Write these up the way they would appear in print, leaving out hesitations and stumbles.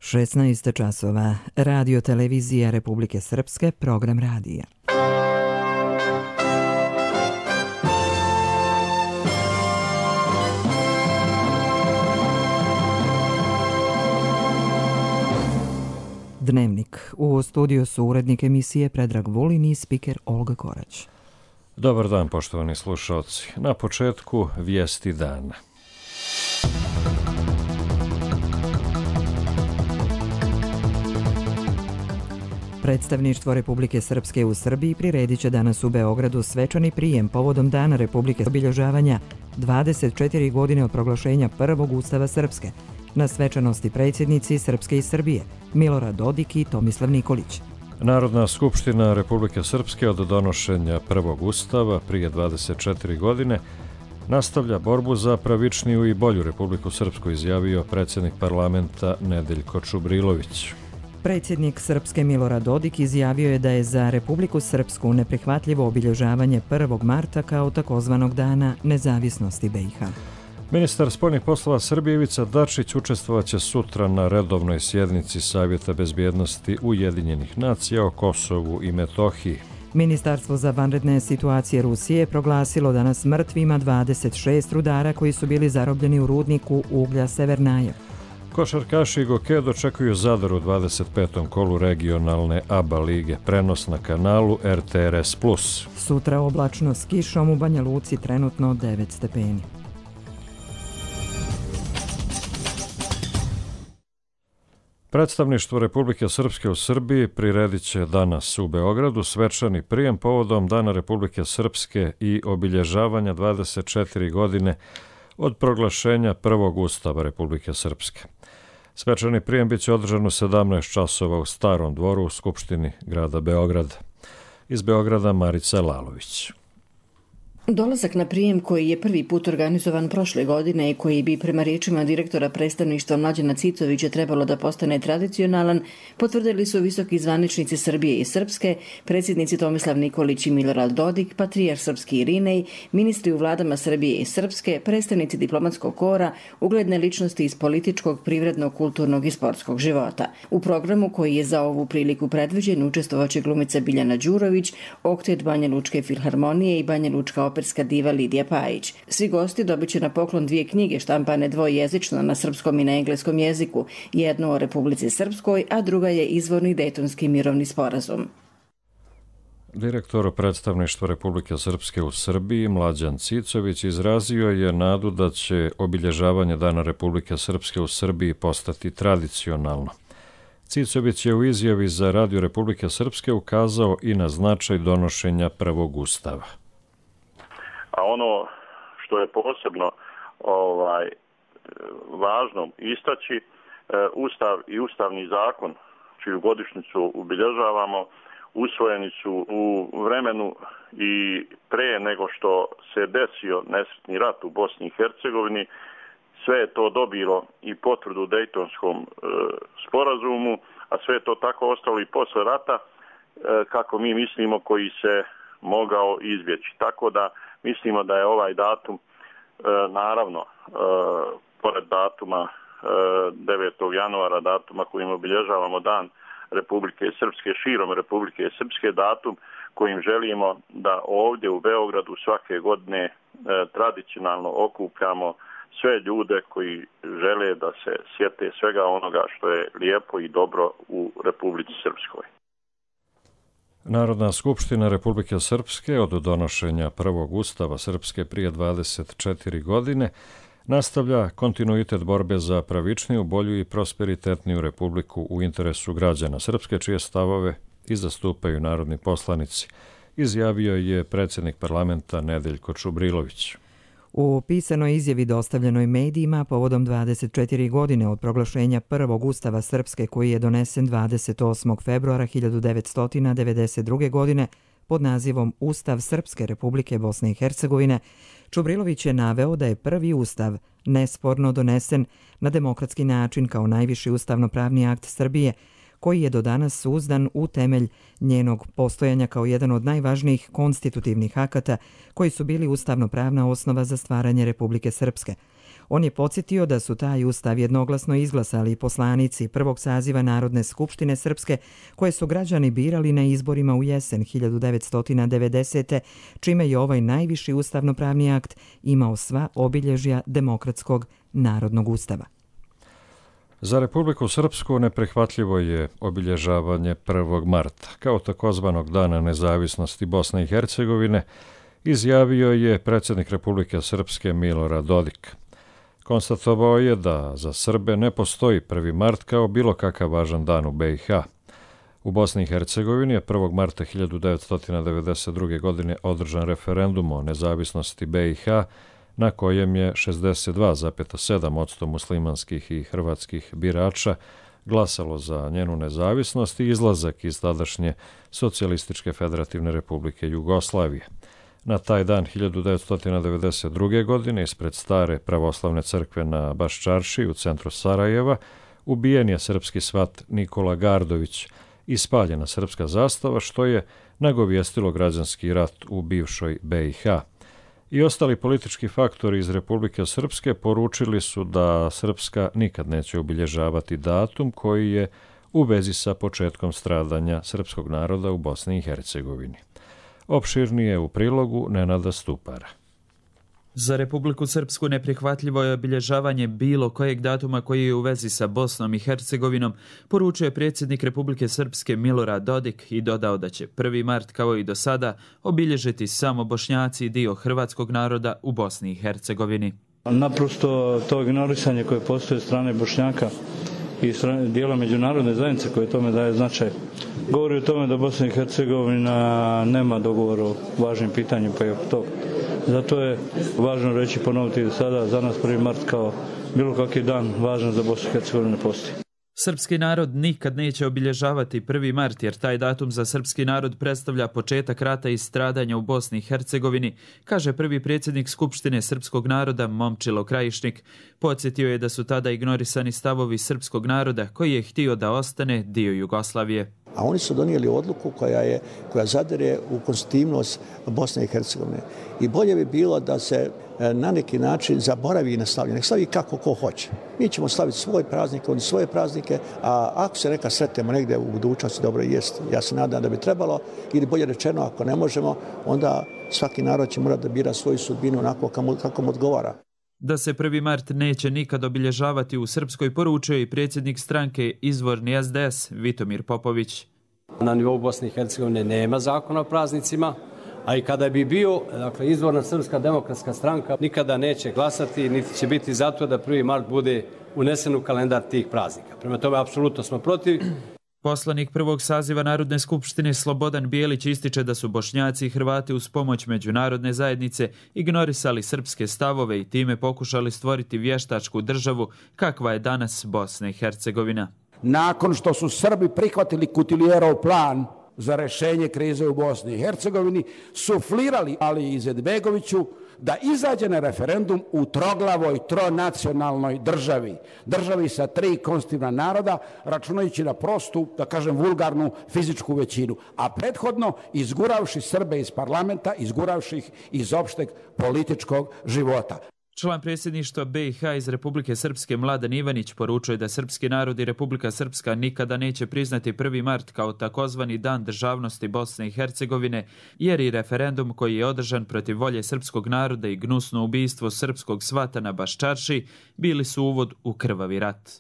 16 časova. Radio televizija Republike Srpske, program radija. Dnevnik. U studiju su urednik emisije Predrag Vulin i spiker Olga Korać. Dobar dan, poštovani slušalci. Na početku vijesti dana. Predstavništvo Republike Srpske u Srbiji priredit će danas u Beogradu svečani prijem povodom Dana Republike obilježavanja 24 godine od proglašenja prvog Ustava Srpske. Na svečanosti predsjednici Srpske i Srbije Milorad Dodik i Tomislav Nikolić. Narodna skupština Republike Srpske od donošenja prvog Ustava prije 24 godine nastavlja borbu za pravičniju i bolju Republiku Srpsku, izjavio predsjednik parlamenta Nedeljko Čubrilović. Predsjednik Srpske Milorad Dodik izjavio je da je za Republiku Srpsku neprihvatljivo obilježavanje 1. marta kao takozvanog Dana nezavisnosti BiH. Ministar spoljnih poslova Srbije Ivica Dačić učestvovaće sutra na redovnoj sjednici Savjeta bezbjednosti Ujedinjenih nacija o Kosovu i Metohiji. Ministarstvo za vanredne situacije Rusije je proglasilo danas mrtvima 26 rudara koji su bili zarobljeni u rudniku uglja Severnaje. Košarkaši Goke dočekuju Zadar u 25. kolu regionalne ABA lige, prenos na kanalu RTRS+. Sutra oblačno s kišom, u Banja Luci trenutno 9 stepeni. Predstavništvo Republike Srpske u Srbiji priredit će danas u Beogradu svečani prijem povodom Dana Republike Srpske i obilježavanja 24 godine od proglašenja prvog Ustava Republike Srpske. Svečani prijem biće održan u 17 časova u Starom dvoru u Skupštini grada Beograda. Iz Beograda Marica Lalović. Dolazak na prijem koji je prvi put organizovan prošle godine i koji bi prema riječima direktora predstavništva Mlađana Cicovića trebalo da postane tradicionalan, potvrdili su visoki zvaničnici Srbije i Srpske, predsjednici Tomislav Nikolić i Milorad Dodik, patrijarh srpski Irinej, ministri u vladama Srbije i Srpske, predstavnici diplomatskog kora, ugledne ličnosti iz političkog, privrednog, kulturnog i sportskog života. U programu koji je za ovu priliku predviđen učestvovaće glumica Biljana Đurović, oktet Banja Lučke filharmonije i Banja Lučka operska diva Lidija Pajić. Svi gosti dobit će na poklon 2 knjige štampane dvojezično na srpskom i na engleskom jeziku, jednu o Republici Srpskoj, a druga je izvorni Dejtonski mirovni sporazum. Direktor predstavništva Republike Srpske u Srbiji Mlađan Cicović izrazio je nadu da će obilježavanje Dana Republike Srpske u Srbiji postati tradicionalno. Cicović je u izjavi za Radio Republike Srpske ukazao i na značaj donošenja prvog Ustava. A ono što je posebno važno istaći, Ustav i Ustavni zakon, čiju godišnjicu obilježavamo, usvojeni su u vremenu i pre nego što se desio nesretni rat u Bosni i Hercegovini. Sve je to dobilo i potvrdu u Dejtonskom sporazumu, a sve je to tako ostalo i posle rata, kako mi mislimo, koji se mogao izbjeći. Tako da mislimo da je ovaj datum, naravno, pored datuma 9. januara, datuma kojim obilježavamo Dan Republike Srpske, širom Republike Srpske, datum kojim želimo da ovdje u Beogradu svake godine tradicionalno okupljamo sve ljude koji žele da se sjete svega onoga što je lijepo i dobro u Republici Srpskoj. Narodna skupština Republike Srpske od donošenja prvog Ustava Srpske prije 24 godine nastavlja kontinuitet borbe za pravičniju, bolju i prosperitetniju republiku u interesu građana Srpske, čije stavove i zastupaju narodni poslanici, izjavio je predsjednik parlamenta Nedeljko Čubrilović. U pisanoj izjavi dostavljenoj medijima povodom 24 godine od proglašenja prvog Ustava Srpske koji je donesen 28. februara 1992. godine pod nazivom Ustav Srpske Republike Bosne i Hercegovine, Čubrilović je naveo da je prvi Ustav nesporno donesen na demokratski način kao najviši ustavno-pravni akt Srbije, koji je do danas uzdan u temelj njenog postojanja kao jedan od najvažnijih konstitutivnih akata koji su bili ustavno-pravna osnova za stvaranje Republike Srpske. On je podsjetio da su taj ustav jednoglasno izglasali poslanici prvog saziva Narodne skupštine Srpske, koje su građani birali na izborima u jesen 1990. čime je ovaj najviši ustavnopravni akt imao sva obilježja demokratskog narodnog ustava. Za Republiku Srpsku neprihvatljivo je obilježavanje 1. marta, kao takozvanog Dana nezavisnosti Bosne i Hercegovine, izjavio je predsjednik Republike Srpske Milorad Dodik. Konstatovao je da za Srbe ne postoji 1. mart kao bilo kakav važan dan u BiH. U Bosni i Hercegovini je 1. marta 1992. godine održan referendum o nezavisnosti BiH, na kojem je 62,7% muslimanskih i hrvatskih birača glasalo za njenu nezavisnost i izlazak iz tadašnje Socijalističke federativne republike Jugoslavije. Na taj dan 1992. godine ispred stare pravoslavne crkve na Baščarši u centru Sarajeva ubijen je srpski svat Nikola Gardović i spaljena srpska zastava, što je nagovijestilo građanski rat u bivšoj BiH. I ostali politički faktori iz Republike Srpske poručili su da Srpska nikad neće obilježavati datum koji je u vezi sa početkom stradanja srpskog naroda u Bosni i Hercegovini. Opširnije u prilogu Nenada Stupara. Za Republiku Srpsku neprihvatljivo je obilježavanje bilo kojeg datuma koji je u vezi sa Bosnom i Hercegovinom, poručio je predsjednik Republike Srpske Milorad Dodik i dodao da će 1. mart kao i do sada obilježiti samo Bošnjaci i dio hrvatskog naroda u Bosni i Hercegovini. Naprosto to ignorisanje koje postoje strane Bošnjaka i dijela međunarodne zajednice koje tome daje značaj govori o tome da Bosna i Hercegovina nema dogovor o važnim pitanjima pa i oko toga. Zato je važno reći, ponoviti sada, za nas 1. mart kao bilo kakvi dan važan za Bosnu i Hercegovinu ne postoji. Srpski narod nikad neće obilježavati 1. mart jer taj datum za srpski narod predstavlja početak rata i stradanja u Bosni i Hercegovini, kaže prvi predsjednik Skupštine srpskog naroda Momčilo Krajišnik. Podsjetio je da su tada ignorisani stavovi srpskog naroda koji je htio da ostane dio Jugoslavije. A oni su donijeli odluku koja zadire u konstitutivnost Bosne i Hercegovine. I bolje bi bilo da se na neki način zaboravi i ne slavi. Nek slavi kako ko hoće. Mi ćemo slaviti svoj praznik, oni svoje praznike, a ako se neka sretnemo negdje u budućnosti, dobro jest. Ja se nadam da bi trebalo, ili bolje rečeno, ako ne možemo, onda svaki narod će morati da bira svoju sudbinu onako kako mu odgovara. Da se 1. mart neće nikad obilježavati u Srpskoj poručuje i predsjednik stranke Izvorni SDS Vitomir Popović. Na nivou Bosne i Hercegovine nema zakona o praznicima, a i kada bi bio, dakle, Izvorna Srpska demokratska stranka nikada neće glasati, niti će biti zato da 1. mart bude unesen u kalendar tih praznika. Prema tome, apsolutno smo protiv. Poslanik prvog saziva Narodne skupštine Slobodan Bijelić ističe da su Bošnjaci i Hrvati uz pomoć međunarodne zajednice ignorisali srpske stavove i time pokušali stvoriti vještačku državu kakva je danas Bosna i Hercegovina. Nakon što su Srbi prihvatili Kutiljerov plan za rješenje krize u Bosni i Hercegovini, suflirali Ali Izetbegoviću da izađe na referendum u troglavoj tronacionalnoj državi. Državi sa 3 konstitutivna naroda, računajući na prostu, da kažem vulgarnu, fizičku većinu. A prethodno izguravši Srbe iz parlamenta, izguravši ih iz opšteg političkog života. Član predsjedništva BiH iz Republike Srpske Mladen Ivanić poručuje da srpski narod i Republika Srpska nikada neće priznati 1. mart kao takozvani dan državnosti Bosne i Hercegovine, jer i referendum koji je održan protiv volje srpskog naroda i gnusno ubistvo srpskog svata na Baščarši bili su uvod u krvavi rat.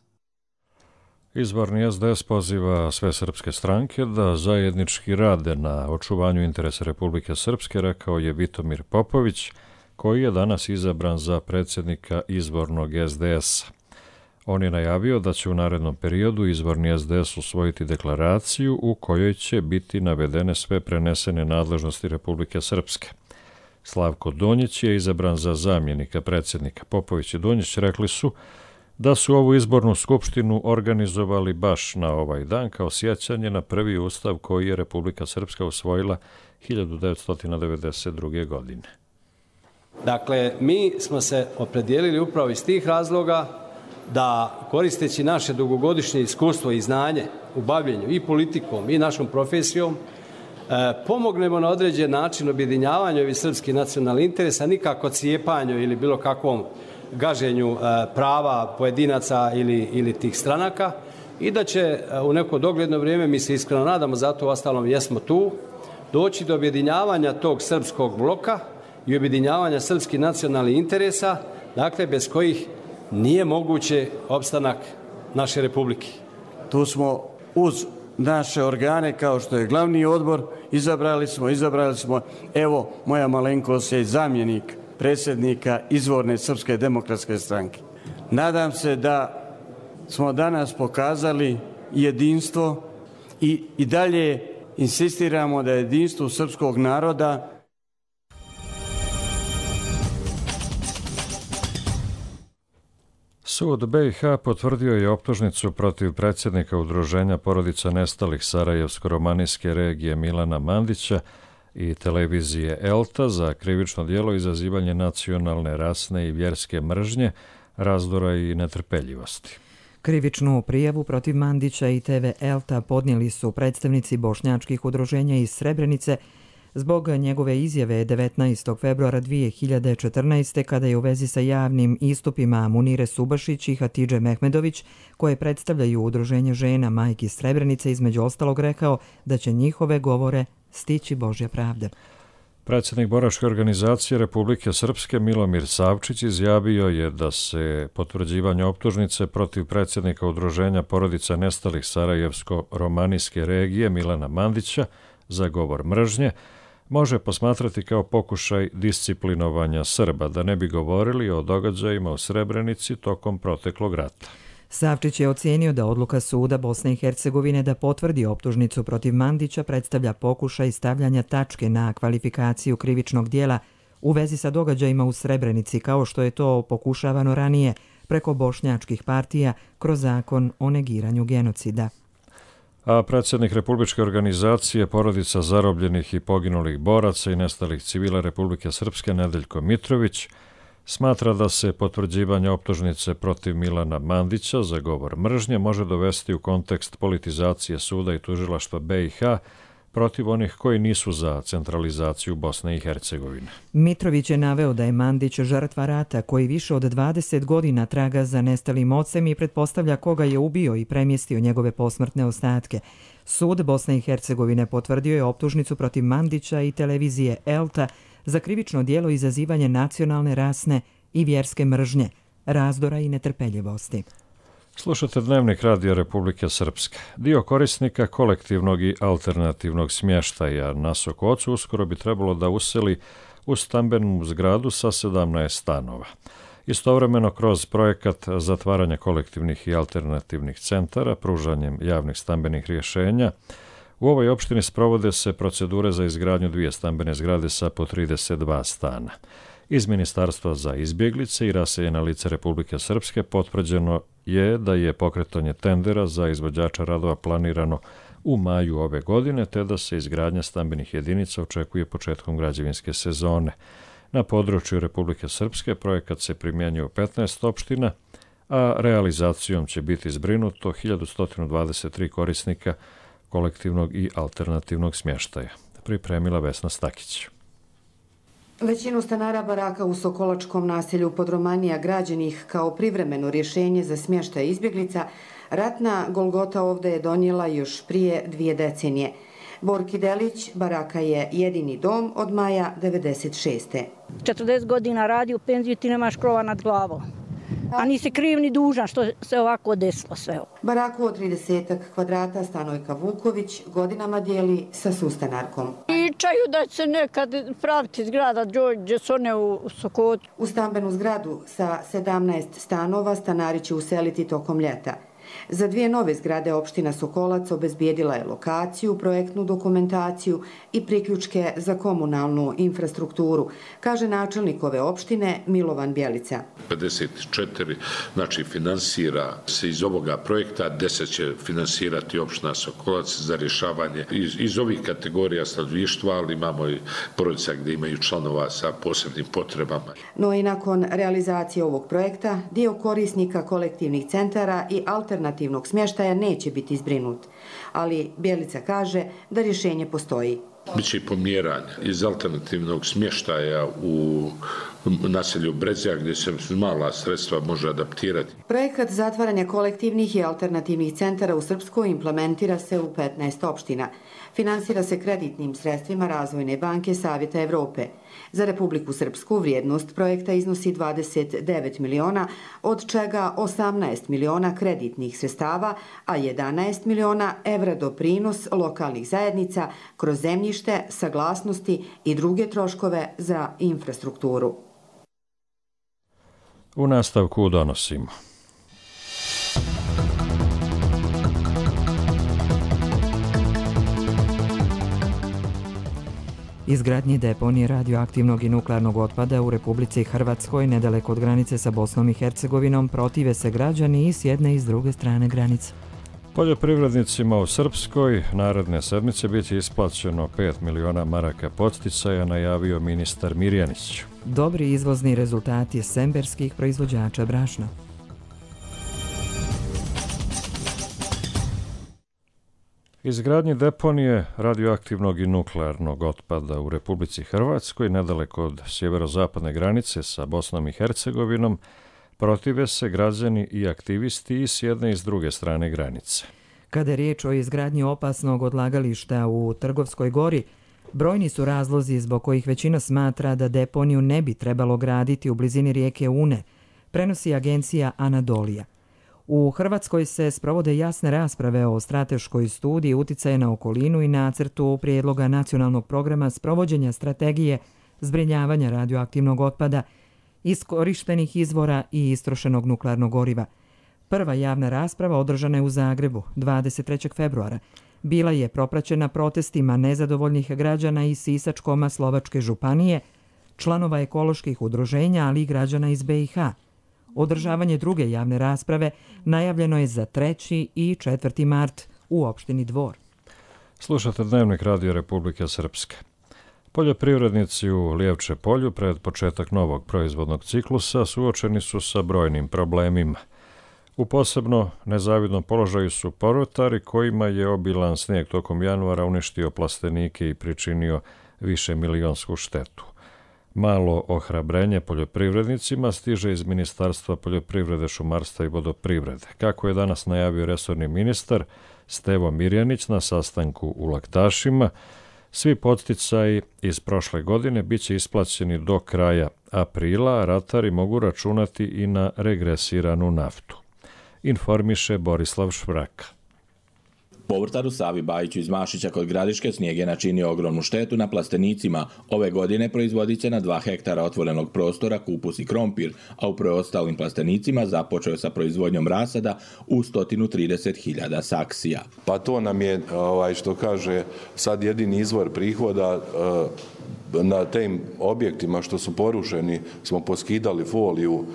Izvorni SDS poziva sve srpske stranke da zajednički rade na očuvanju interesa Republike Srpske, rekao je Vitomir Popović, koji je danas izabran za predsjednika izvornog SDS-a. On je najavio da će u narednom periodu izvorni SDS usvojiti deklaraciju u kojoj će biti navedene sve prenesene nadležnosti Republike Srpske. Slavko Donjić je izabran za zamjenika predsjednika. Popović i Donjić rekli su da su ovu izbornu skupštinu organizovali baš na ovaj dan kao sjećanje na prvi ustav koji je Republika Srpska usvojila 1992. godine. Dakle, mi smo se opredijelili upravo iz tih razloga da, koristeći naše dugogodišnje iskustvo i znanje u bavljenju i politikom i našom profesijom, pomognemo na određen način objedinjavanju ovih srpskih nacionalnih interesa, nikako cijepanju ili bilo kakvom gaženju prava pojedinaca ili tih stranaka i da će u neko dogledno vrijeme, mi se iskreno nadamo, zato ostalom jesmo tu, doći do objedinjavanja tog srpskog bloka i objedinjavanja srpskih nacionalnih interesa, dakle bez kojih nije moguće opstanak naše republike. Tu smo uz naše organe kao što je glavni odbor, izabrali smo, evo moja malenkost je zamjenik predsjednika izvorne Srpske demokratske stranke. Nadam se da smo danas pokazali jedinstvo i dalje insistiramo da je jedinstvo srpskog naroda. Sud BiH potvrdio je optužnicu protiv predsjednika Udruženja porodica nestalih Sarajevsko-romanijske regije Milana Mandića i televizije ELTA za krivično djelo izazivanje nacionalne, rasne i vjerske mržnje, razdora i netrpeljivosti. Krivičnu prijavu protiv Mandića i TV ELTA podnijeli su predstavnici bošnjačkih udruženja iz Srebrenice zbog njegove izjave 19. februara 2014. kada je u vezi sa javnim istupima Munire Subašić i Hatidže Mehmedović, koje predstavljaju udruženje žena majki Srebrenice, između ostalog rekao da će njihove govore stići Božja pravda. Predsjednik boračke organizacije Republike Srpske Milomir Savčić izjavio je da se potvrđivanje optužnice protiv predsjednika Udruženja porodica nestalih Sarajevsko-romanijske regije Milana Mandića za govor mržnje može posmatrati kao pokušaj disciplinovanja Srba da ne bi govorili o događajima u Srebrenici tokom proteklog rata. Savčić je ocijenio da odluka suda Bosne i Hercegovine da potvrdi optužnicu protiv Mandića predstavlja pokušaj stavljanja tačke na kvalifikaciju krivičnog dijela u vezi sa događajima u Srebrenici, kao što je to pokušavano ranije preko bošnjačkih partija kroz zakon o negiranju genocida. A predsjednik Republičke organizacije porodica zarobljenih i poginulih boraca i nestalih civila Republike Srpske Nedeljko Mitrović smatra da se potvrđivanje optužnice protiv Milana Mandića za govor mržnje može dovesti u kontekst politizacije suda i tužilaštva BiH protiv onih koji nisu za centralizaciju Bosne i Hercegovine. Mitrović je naveo da je Mandić žrtva rata koji više od 20 godina traga za nestalim ocem i pretpostavlja koga je ubio i premjestio njegove posmrtne ostatke. Sud Bosne i Hercegovine potvrdio je optužnicu protiv Mandića i televizije ELTA za krivično djelo izazivanje nacionalne, rasne i vjerske mržnje, razdora i netrpeljivosti. Slušate Dnevnik Radija Republike Srpske. Dio korisnika kolektivnog i alternativnog smještaja na Sokocu uskoro bi trebalo da useli u stambenu zgradu sa 17 stanova. Istovremeno, kroz projekat zatvaranja kolektivnih i alternativnih centara, pružanjem javnih stambenih rješenja, u ovoj opštini sprovode se procedure za izgradnju 2 stambene zgrade sa po 32 stana. Iz Ministarstva za izbjeglice i raseljena lica Republike Srpske potvrđeno je da je pokretanje tendera za izvođača radova planirano u maju ove godine, te da se izgradnja stambenih jedinica očekuje početkom građevinske sezone. Na području Republike Srpske projekat se primjenjuje u 15 opština, a realizacijom će biti zbrinuto 1123 korisnika kolektivnog i alternativnog smještaja. Pripremila Vesna Stakić. Većinu stanara baraka u Sokolačkom naselju Podromanija građenih kao privremeno rješenje za smještaj izbjeglica, ratna Golgota ovdje je donijela još prije 2 decenije. Borki Delić, baraka je jedini dom od maja 96. 40 godina radi u penziju, ti nemaš krova nad glavom. A nisi kriv ni dužan što se ovako desilo sve ovo. Baraku od 30 kvadrata Stanojka Vuković godinama dijeli sa sustanarkom. Pričaju da će nekad praviti zgrada gdje su one u Sokotu. U stambenu zgradu sa 17 stanova stanari će useliti tokom ljeta. Za 2 nove zgrade opština Sokolac obezbijedila je lokaciju, projektnu dokumentaciju i priključke za komunalnu infrastrukturu, kaže načelnik ove opštine Milovan Bjelica. 54, znači finansira se iz ovoga projekta, 10 će finansirati opština Sokolac za rješavanje iz ovih kategorija stanovništva, ali imamo i porodica gdje imaju članova sa posebnim potrebama. No i nakon realizacije ovog projekta, dio korisnika kolektivnih centara i alternativnog smještaja neće biti zbrinut. Ali Bjelica kaže da rješenje postoji. Biće i pomjeranja iz alternativnog smještaja u naselju Brezja gdje se mala sredstva može adaptirati. Projekat zatvaranja kolektivnih i alternativnih centara u Srpskoj implementira se u 15 opština. Finansira se kreditnim sredstvima Razvojne banke Savjeta Evrope. Za Republiku Srpsku vrijednost projekta iznosi 29 miliona, od čega 18 miliona kreditnih sredstava, a 11 miliona evra doprinos lokalnih zajednica kroz zemljište, saglasnosti i druge troškove za infrastrukturu. U nastavku donosimo. Izgradnji deponije radioaktivnog i nuklearnog otpada u Republici Hrvatskoj, nedaleko od granice sa Bosnom i Hercegovinom, protive se građani i s jedne i s druge strane granice. Poljoprivrednicima u Srpskoj naredne sedmice biti isplaćeno 5 miliona maraka podsticaja, najavio ministar Mirjanić. Dobri izvozni rezultati semberskih proizvođača brašna. Izgradnji deponije radioaktivnog i nuklearnog otpada u Republici Hrvatskoj, nedaleko od sjeverozapadne granice sa Bosnom i Hercegovinom, protive se građani i aktivisti i s jedne i s druge strane granice. Kada je riječ o izgradnji opasnog odlagališta u Trgovskoj gori, brojni su razlozi zbog kojih većina smatra da deponiju ne bi trebalo graditi u blizini rijeke Une, prenosi agencija Anadolija. U Hrvatskoj se sprovode jasne rasprave o strateškoj studiji uticaja na okolinu i nacrtu prijedloga nacionalnog programa sprovođenja strategije zbrinjavanja radioaktivnog otpada, iskorištenih izvora i istrošenog nuklearnog goriva. Prva javna rasprava održana je u Zagrebu 23. februara. Bila je propraćena protestima nezadovoljnih građana iz Sisačko-Slovačke županije, članova ekoloških udruženja, ali i građana iz BiH. Održavanje druge javne rasprave najavljeno je za 3. i 4. mart u opštini Dvor. Slušate Dnevnik Radio Republike Srpske. Poljoprivrednici u Lijevče polju pred početak novog proizvodnog ciklusa suočeni su sa brojnim problemima. U posebno nezavidnom položaju su povrtari kojima je obilan snijeg tokom januara uništio plastenike i pričinio višemilionsku štetu. Malo ohrabrenje poljoprivrednicima stiže iz Ministarstva poljoprivrede, šumarstva i vodoprivrede. Kako je danas najavio resorni ministar Stevo Mirjanić na sastanku u Laktašima, svi podsticaji iz prošle godine bit će isplaćeni do kraja aprila, a ratari mogu računati i na regresiranu naftu. Informiše Borislav Švraka. Povrtaru Savi Bajiću iz Mašića kod Gradiške snijeg je načinio ogromnu štetu na plastenicima. Ove godine proizvodit će na 2 hektara otvorenog prostora kupus i krompir, a u preostalim plastenicima započeo je sa proizvodnjom rasada u 130.000 saksija. Pa to nam je, što kaže, sad jedini izvor prihoda. Na tim objektima što su porušeni smo poskidali foliju.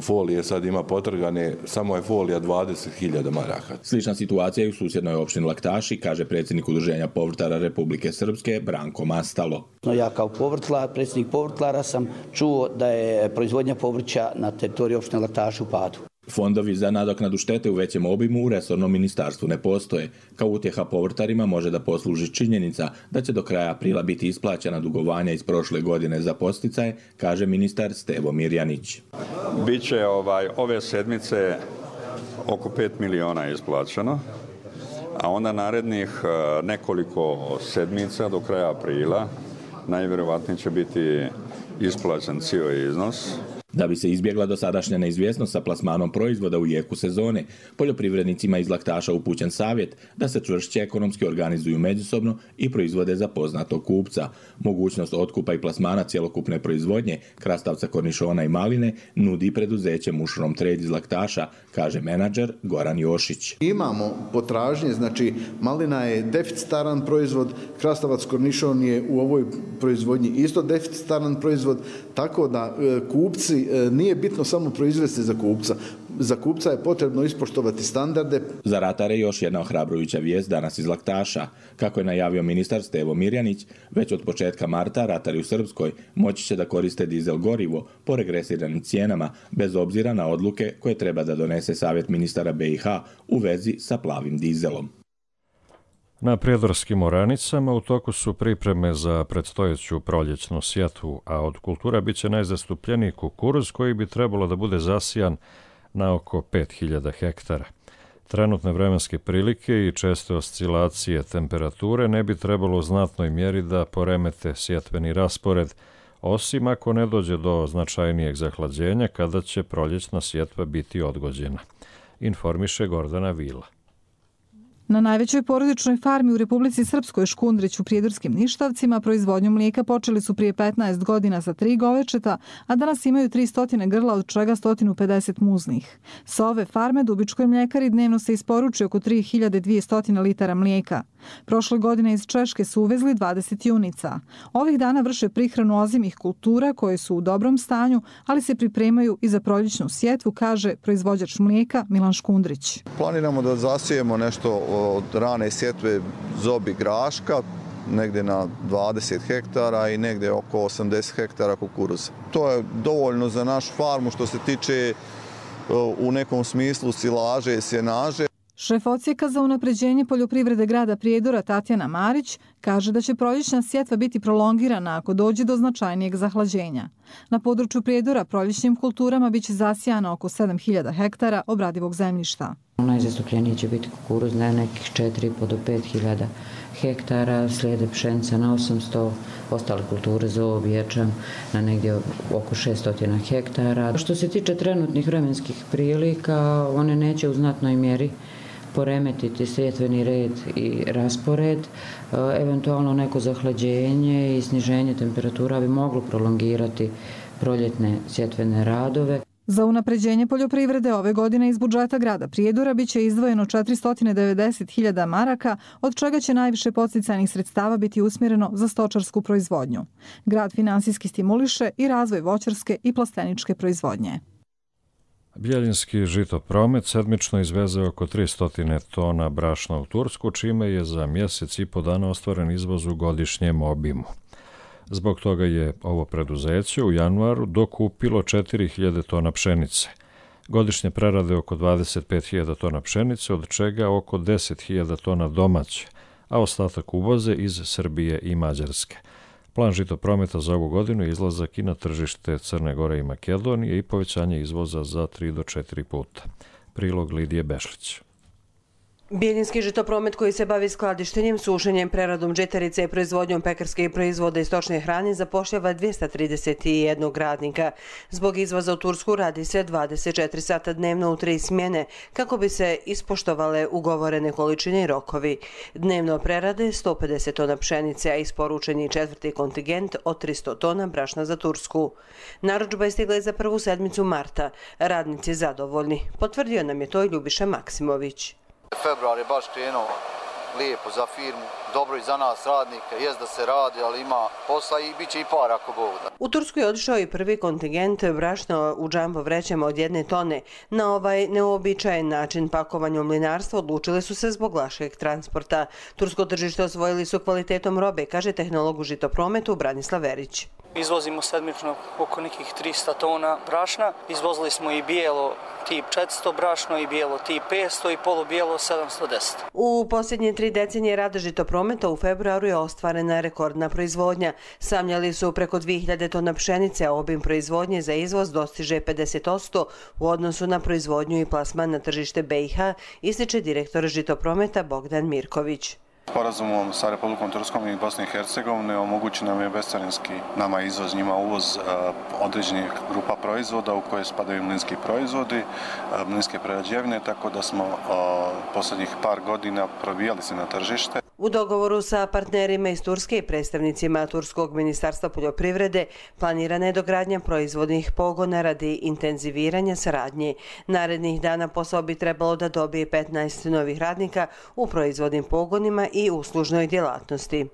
Folije sad ima potrgane, samo je folija 20.000 maraka. Slična situacija je u susjednoj opštini Laktaši, kaže predsjednik Udruženja povrtlara Republike Srpske Branko Mastalo. Ja kao povrtlar, predsjednik povrtlara, sam čuo da je proizvodnja povrća na teritoriji opštine Laktaši u padu. Fondovi za nadoknadu štete u većem obimu u resornom ministarstvu ne postoje. Kao utjeha povrtarima može da posluži činjenica da će do kraja aprila biti isplaćena dugovanja iz prošle godine za podsticaje, kaže ministar Stevo Mirjanić. Biće ove sedmice oko 5 miliona isplaćeno, a onda narednih nekoliko sedmica do kraja aprila najvjerovatnije će biti isplaćen cijeli iznos. Da bi se izbjegla dosadašnja neizvjesnost sa plasmanom proizvoda u jeku sezone, poljoprivrednicima iz Laktaša upućen savjet da se čvršće ekonomski organizuju međusobno i proizvode za poznatog kupca. Mogućnost otkupa i plasmana cjelokupne proizvodnje, krastavca, kornišona i maline, nudi preduzeće Mushroom Trade iz Laktaša, kaže menadžer Goran Jošić. Imamo potražnje, znači malina je deficitaran proizvod, krastavac, kornišon je u ovoj proizvodnji isto deficitaran proizvod, tako da kupci nije bitno samo proizvesti za kupca. Za kupca je potrebno ispoštovati standarde. Za ratare još jedna ohrabrujuća vijest danas iz Laktaša. Kako je najavio ministar Stevo Mirjanić, već od početka marta ratari u Srpskoj moći će da koriste dizel gorivo po regresiranim cijenama, bez obzira na odluke koje treba da donese savjet ministara BiH u vezi sa plavim dizelom. Na prijedorskim oranicama u toku su pripreme za predstojeću proljećnu sjetvu, a od kultura bit će najzastupljeniji kukuruz koji bi trebalo da bude zasijan na oko 5000 hektara. Trenutne vremenske prilike i česte oscilacije temperature ne bi trebalo u znatnoj mjeri da poremete sjetveni raspored, osim ako ne dođe do značajnijeg zahlađenja kada će proljećna sjetva biti odgođena, informiše Gordana Vila. Na najvećoj porodičnoj farmi u Republici Srpskoj Škundrić u Prijedorskim Ništavcima proizvodnju mlijeka počeli su prije 15 godina sa 3 govečeta, a danas imaju 300 grla, od čega 150 muznih. Sa ove farme Dubičkoj mljekari dnevno se isporuči oko 3200 litara mlijeka. Prošle godine iz Češke su uvezli 20 junica. Ovih dana vrše prihranu ozimih kultura koje su u dobrom stanju, ali se pripremaju i za proljećnu sjetvu, kaže proizvođač mlijeka Milan Škundrić. Planiramo da zasijemo nešto od rane sjetve zobi graška, negdje na 20 hektara i negdje oko 80 hektara kukuruza. To je dovoljno za našu farmu što se tiče u nekom smislu silaže i sjenaže. Šef odsjeka za unapređenje poljoprivrede grada Prijedora Tatjana Marić kaže da će proljećna sjetva biti prolongirana ako dođe do značajnijeg zahlađenja. Na području Prijedora proljećnim kulturama biće zasijano oko 7000 hektara obradivog zemljišta. Najzastupljeniji će biti kukuruz na nekih 4,5 do 5.000 hektara, slijede pšenica na 800, ostale kulture zob, ječam na negdje oko 600 hektara. Što se tiče trenutnih vremenskih prilika, one neće u znatnoj mjeri poremetiti sjetveni red i raspored. Eventualno neko zahlađenje i sniženje temperatura bi moglo prolongirati proljetne sjetvene radove. Za unapređenje poljoprivrede ove godine iz budžeta grada Prijedora biće izdvojeno 490.000 maraka, od čega će najviše podsticajnih sredstava biti usmjereno za stočarsku proizvodnju. Grad finansijski stimuliše i razvoj voćarske i plasteničke proizvodnje. Bjeljinski žitopromet sedmično izveze oko 300 tona brašna u Tursku, čime je za mjesec i po dana ostvaren izvoz u godišnjem obimu. Zbog toga je ovo preduzeće u januaru dokupilo 4000 tona pšenice. Godišnje prerade oko 25.000 tona pšenice, od čega oko 10.000 tona domaće, a ostatak uvoze iz Srbije i Mađarske. Plan žitoprometa za ovu godinu je izlazak i na tržište Crne Gore i Makedonije i povećanje izvoza za 3 do 4 puta. Prilog Lidije Bešlić. Bjeljinski žitopromet koji se bavi skladištenjem, sušenjem, preradom žitarice i proizvodnjom pekarskih proizvoda i stočne hrane zapošljava 231 radnika. Zbog izvoza u Tursku radi se 24 sata dnevno u 3 smjene kako bi se ispoštovale ugovorene količine i rokovi. Dnevno prerade 150 tona pšenice, a isporučen je četvrti kontingent od 300 tona brašna za Tursku. Narudžba je stigla za prvu sedmicu marta. Radnici zadovoljni. Potvrdio nam je to i Ljubiša Maksimović. Februar je baš krenuo lijepo za firmu, dobro i za nas radnike, jest da se radi, ali ima posla i bit će i par ako Bog da. U Tursku je otišao i prvi kontingent brašna u džambo vrećama od 1 tone. Na ovaj neobičajen način pakovanja u mlinarstvo odlučili su se zbog lakšeg transporta. Tursko tržište osvojili su kvalitetom robe, kaže tehnolog u žitoprometu Branislav Verić. Izvozimo sedmično oko nekih 300 tona brašna. Izvozili smo i bijelo tip 400 brašno i bijelo tip 500 i polubijelo 710. U posljednje 3 decenije rada žitoprometa u februaru je ostvarena rekordna proizvodnja. Samljali su preko 2000 tona pšenice, a obim proizvodnje za izvoz dostiže 50% u odnosu na proizvodnju i plasman na tržište BiH, ističe direktor žitoprometa Bogdan Mirković. Sporazumom sa Republikom Turskom i Bosne i Hercegovine omogući nam je bescarinski nama izvoz, njima uvoz određenih grupa proizvoda u koje spadaju mlinski proizvodi, mlinske prerađevine, tako da smo posljednjih par godina probijali se na tržište. U dogovoru sa partnerima iz Turske i predstavnicima Turskog ministarstva poljoprivrede planirana je dogradnja proizvodnih pogona radi intenziviranja saradnje. Narednih dana posao bi trebalo da dobije 15 novih radnika u proizvodnim pogonima i uslužnoj djelatnosti.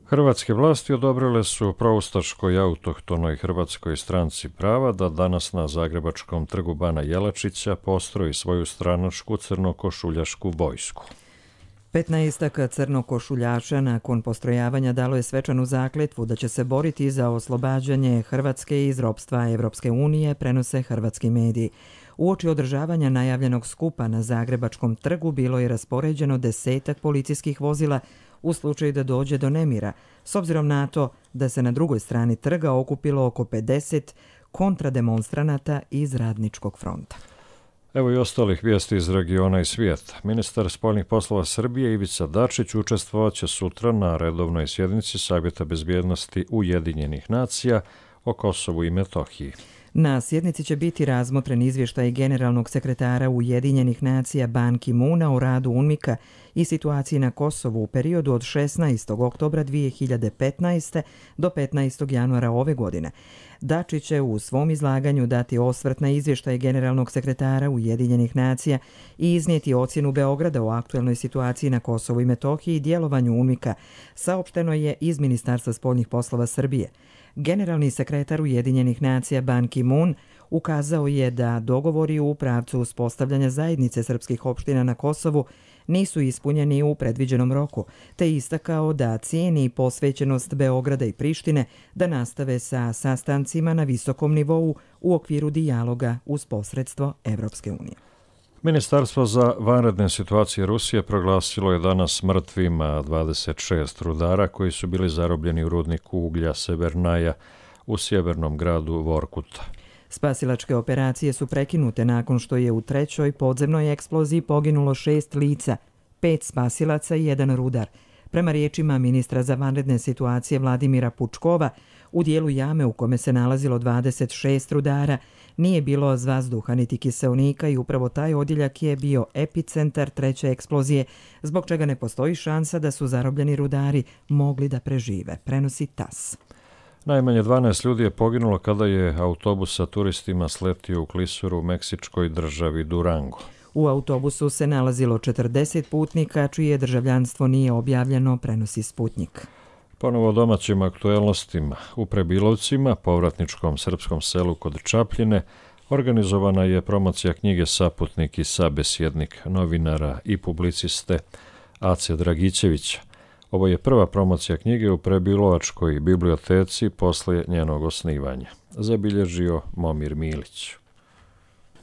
Hrvatske vlasti odobrile su proustaškoj autohtonoj Hrvatskoj stranci prava da danas na zagrebačkom trgu Bana Jelačića postroji svoju stranačku crnokošuljašku vojsku. 15 crnokošuljaša nakon postrojavanja dalo je svečanu zakletvu da će se boriti za oslobađanje Hrvatske iz ropstva Evropske unije, prenose hrvatski mediji. Uoči održavanja najavljenog skupa na Zagrebačkom trgu bilo je raspoređeno 10 policijskih vozila u slučaju da dođe do nemira, s obzirom na to da se na drugoj strani trga okupilo oko 50 kontrademonstranata iz Radničkog fronta. Evo i ostalih vijesti iz regiona i svijeta. Ministar spoljnih poslova Srbije Ivica Dačić učestvovaće sutra na redovnoj sjednici Savjeta bezbjednosti Ujedinjenih nacija o Kosovu i Metohiji. Na sjednici će biti razmotren izvještaj generalnog sekretara Ujedinjenih nacija Ban Ki-moona o radu UNMIK-a i situaciji na Kosovu u periodu od 16. oktobra 2015. do 15. januara ove godine. Dačić će u svom izlaganju dati osvrt na izvještaj generalnog sekretara Ujedinjenih nacija i iznijeti ocjenu Beograda o aktuelnoj situaciji na Kosovu i Metohiji i djelovanju UNMIK-a, saopšteno je iz Ministarstva spoljnih poslova Srbije. Generalni sekretar Ujedinjenih nacija Ban Ki-moon ukazao je da dogovori u pravcu uspostavljanja zajednice srpskih opština na Kosovu nisu ispunjeni u predviđenom roku, te istakao da cijeni posvećenost Beograda i Prištine da nastave sa sastancima na visokom nivou u okviru dijaloga uz posredstvo Evropske unije. Ministarstvo za vanredne situacije Rusije proglasilo je danas mrtvima 26 rudara koji su bili zarobljeni u rudniku uglja Severnaja u sjevernom gradu Vorkuta. Spasilačke operacije su prekinute nakon što je u trećoj podzemnoj eksploziji poginulo 6 lica, 5 spasilaca i 1 rudar. Prema riječima ministra za vanredne situacije Vladimira Pučkova, u dijelu jame u kome se nalazilo 26 rudara nije bilo vazduha niti kiseonika i upravo taj odjeljak je bio epicentar treće eksplozije, zbog čega ne postoji šansa da su zarobljeni rudari mogli da prežive, prenosi TAS. Najmanje 12 ljudi je poginulo kada je autobus sa turistima sletio u klisuru u meksičkoj državi Durango. U autobusu se nalazilo 40 putnika, čije državljanstvo nije objavljeno, prenosi Sputnik. Ponovo o domaćim aktuelnostima. U Prebilovcima, povratničkom srpskom selu kod Čapljine, organizovana je promocija knjige Saputnik i sabesjednik novinara i publiciste Ace Dragićevića. Ovo je prva promocija knjige u Prebilovačkoj biblioteci posle njenog osnivanja, zabilježio Momir Milić.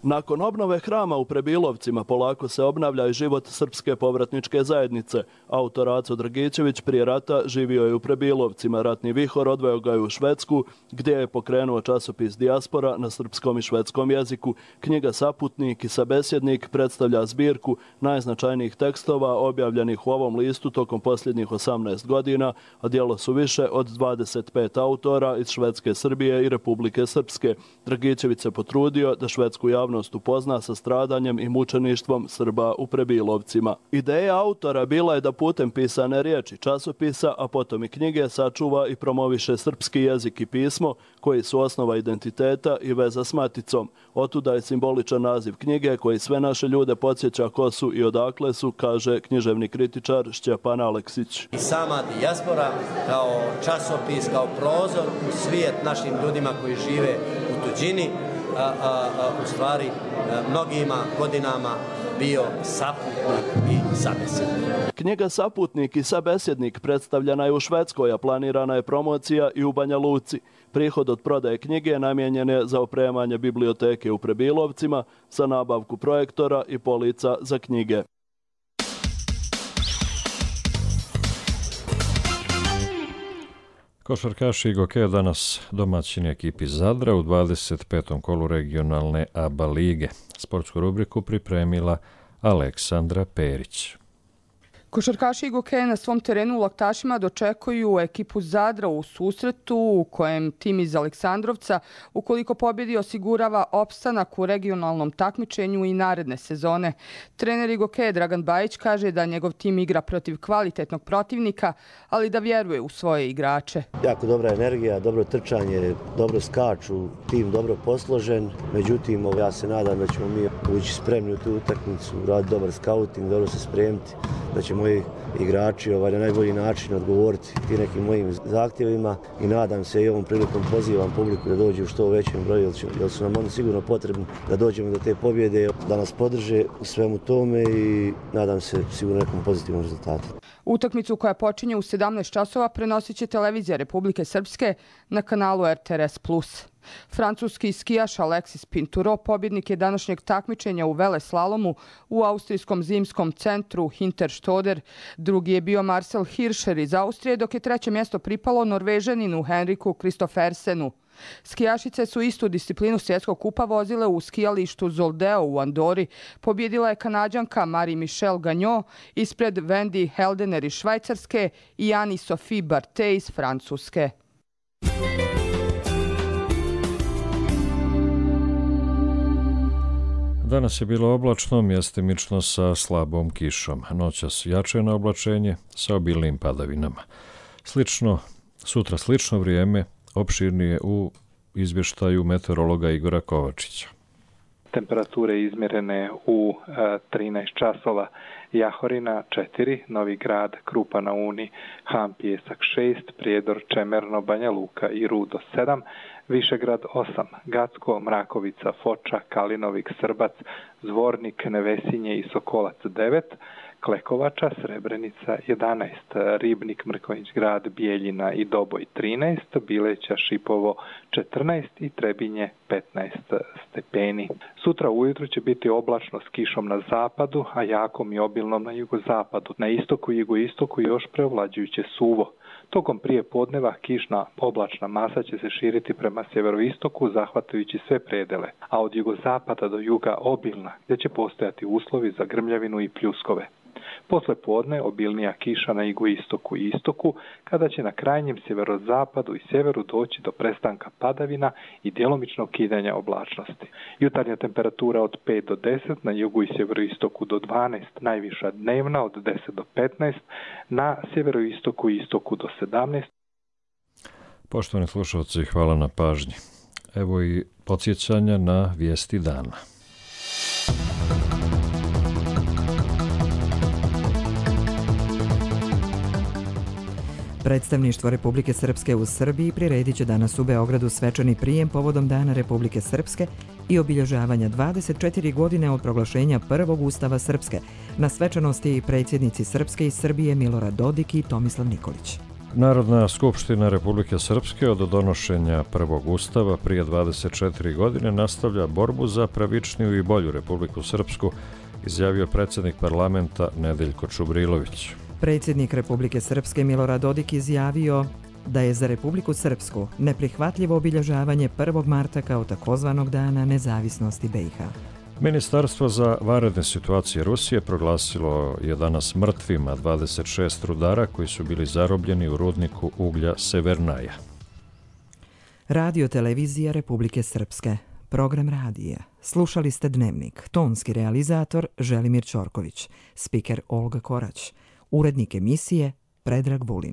Nakon obnove hrama u Prebilovcima polako se obnavlja i život srpske povratničke zajednice. Autor Aco Dragićević prije rata živio je u Prebilovcima. Ratni vihor odveo ga je u Švedsku, gdje je pokrenuo časopis Dijaspora na srpskom i švedskom jeziku. Knjiga Saputnik i sabesjednik predstavlja zbirku najznačajnijih tekstova objavljenih u ovom listu tokom posljednjih 18 godina, a djelo su više od 25 autora iz Švedske, Srbije i Republike Srpske. Dragićević se potrudio da švedsku javnost upozna sa stradanjem i mučeništvom Srba u Prebilovcima. Ideja autora bila je da putem pisane riječi, časopisa, a potom i knjige sačuva i promoviše srpski jezik i pismo, koji su osnova identiteta i veza s maticom. Otuda je simboličan naziv knjige koji sve naše ljude podsjeća ko su i odakle su, kaže književni kritičar Šćepan Aleksić. I sama Dijaspora kao časopis, kao prozor u svijet našim ljudima koji žive u tuđini, u stvari mnogima godinama bio saputnik i sabesjednik. Knjiga Saputnik i sabesjednik predstavljena je u Švedskoj, a planirana je promocija i u Banja Luci. Prihod od prodaje knjige namijenjen je za opremanje biblioteke u Prebilovcima, za nabavku projektora i polica za knjige. Košarkaši i Gokeja danas domaćini ekipi Zadra u 25. kolu regionalne ABA lige. Sportsku rubriku pripremila Aleksandra Perić. Košarkaši Gokeja na svom terenu u Laktašima dočekuju ekipu Zadra u susretu u kojem tim iz Aleksandrovca, ukoliko pobjedi, osigurava opstanak u regionalnom takmičenju i naredne sezone. Trener Gokeja Dragan Bajić kaže da njegov tim igra protiv kvalitetnog protivnika, ali da vjeruje u svoje igrače. Jako dobra energija, dobro trčanje, dobro skaču, tim dobro posložen. Međutim, ja se nadam da ćemo mi ući spremni u tu utakmicu, raditi dobar skauting, dobro se spremiti. da će moji igrači na najbolji način odgovoriti i nekim mojim zahtjevima i nadam se i ovom prilikom pozivam publiku da dođe u što većem broju jer su nam oni sigurno potrebni da dođemo do te pobjede, da nas podrže u svemu tome i nadam se sigurno nekom pozitivnom rezultatu. Utakmicu koja počinje u 17 časova prenosit će televizija Republike Srpske na kanalu RTS+. Francuski skijaš Alexis Pinturo pobjednik je današnjeg takmičenja u veleslalomu u austrijskom zimskom centru Hinterstoder. Drugi je bio Marcel Hirscher iz Austrije, dok je treće mjesto pripalo Norvežaninu Henriku Kristoffersenu. Skijašice su istu disciplinu svjetskog kupa vozile u skijalištu Zoldeo u Andori. Pobjedila je Kanađanka Marie-Michelle Gagnon ispred Wendy Heldener iz Švajcarske i Anne-Sophie Barthé iz Francuske. Danas je bilo oblačno, mjestimično sa slabom kišom. Noćas jačeno oblačenje sa obilnim padavinama. Sutra slično vrijeme, opširnije u izvještaju meteorologa Igora Kovačića. Temperature izmjerene u 13 časova. Jahorina 4, Novi Grad, Krupa na Uni, Han Pijesak 6, Prijedor, Čemerno, Banja Luka i Rudo 7, Višegrad 8, Gacko, Mrakovica, Foča, Kalinovik, Srbac, Zvornik, Nevesinje i Sokolac 9, Klekovača, Srebrenica 11, Ribnik, Mrkonjić Grad, Bijeljina i Doboj 13, Bileća, Šipovo 14 i Trebinje 15 stepeni. Sutra ujutro će biti oblačno s kišom na zapadu, a jakom i obilnom na jugozapadu. Na istoku i jugoistoku još preovlađujuće suvo. Tokom prije podneva kišna oblačna masa će se širiti prema sjeveroistoku zahvatajući sve predele, a od jugozapada do juga obilna, gdje će postojati uslovi za grmljavinu i pljuskove. Posle podne obilnija kiša na jugoistoku i istoku, kada će na krajnjem sjeverozapadu i sjeveru doći do prestanka padavina i djelomičnog kidanja oblačnosti. Jutarnja temperatura od 5 do 10, na jugu i sjeveroistoku do 12, najviša dnevna od 10 do 15, na sjeveroistoku i istoku do 17. Poštovani slušalci, hvala na pažnji. Evo i podsjećanja na vijesti dana. Predstavništvo Republike Srpske u Srbiji priredit će danas u Beogradu svečani prijem povodom Dana Republike Srpske i obilježavanja 24 godine od proglašenja prvog Ustava Srpske. Na svečanosti i predsjednici Srpske i Srbije Milorad Dodik i Tomislav Nikolić. Narodna skupština Republike Srpske od donošenja prvog ustava prije 24 godine nastavlja borbu za pravičniju i bolju Republiku Srpsku, izjavio predsjednik parlamenta Nedeljko Čubrilović. Predsjednik Republike Srpske Milorad Dodik izjavio da je za Republiku Srpsku neprihvatljivo obilježavanje 1. marta kao takozvanog dana nezavisnosti BiH. Ministarstvo za vanredne situacije Rusije proglasilo je danas mrtvima 26 rudara koji su bili zarobljeni u rudniku uglja Severnaja. Radio televizija Republike Srpske. Program radija. Slušali ste Dnevnik. Tonski realizator Želimir Ćorković. Spiker Olga Korać. Urednik emisije Predrag Vulin.